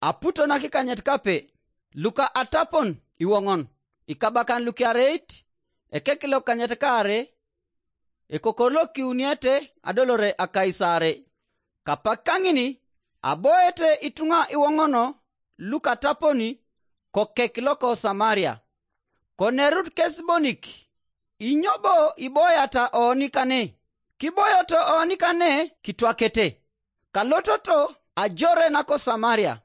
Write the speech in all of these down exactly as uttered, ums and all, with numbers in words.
Aputo nakikanyet kape, luka atapon iwoŋon, ikabakan lukiareit, ekekilokanyet kaare, ekokolokiuniete adolore akaisare. Kapak kaŋin, aboete ituŋa iwoŋono lukataponi kokek loko Samaria. Konerut kes bonik, inyo bo iboyata oni kane? Kiboyoto oni kane kitwakete, kalototo ajore nako Samaria.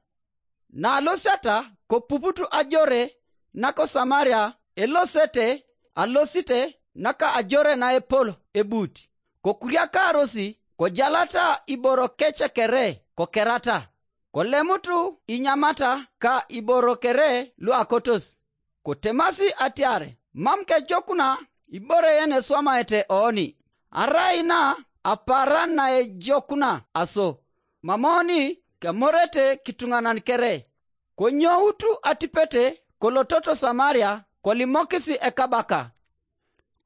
Nalosiata kopuputu ajore nako Samaria, elosete alosite naka ajore naepol ebut, kokuriakarosi kojalata iboro kece kere kokerata, kolemutu inyamata ka iboro kere luakotos. Kotemasi atiar, mam kejokuna ibore yeneswamaete oni, arai na apaaran naejokuna aso, mam oni kemorete kituŋanan kere. Konyoutu atipete kolototo Samaria kolimokisi ekabaka.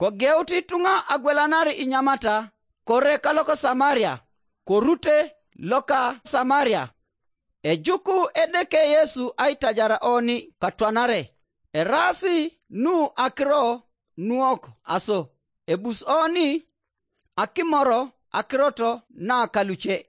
Kogeut ituŋa agwelanar inyamata kore kaloko Samaria, korute loka Samaria. Ejuku Edeke Yesu aitajar oni katwanare. Eraasi nu akiro nuok aso, ebus oni akimoro akirot na kaluce.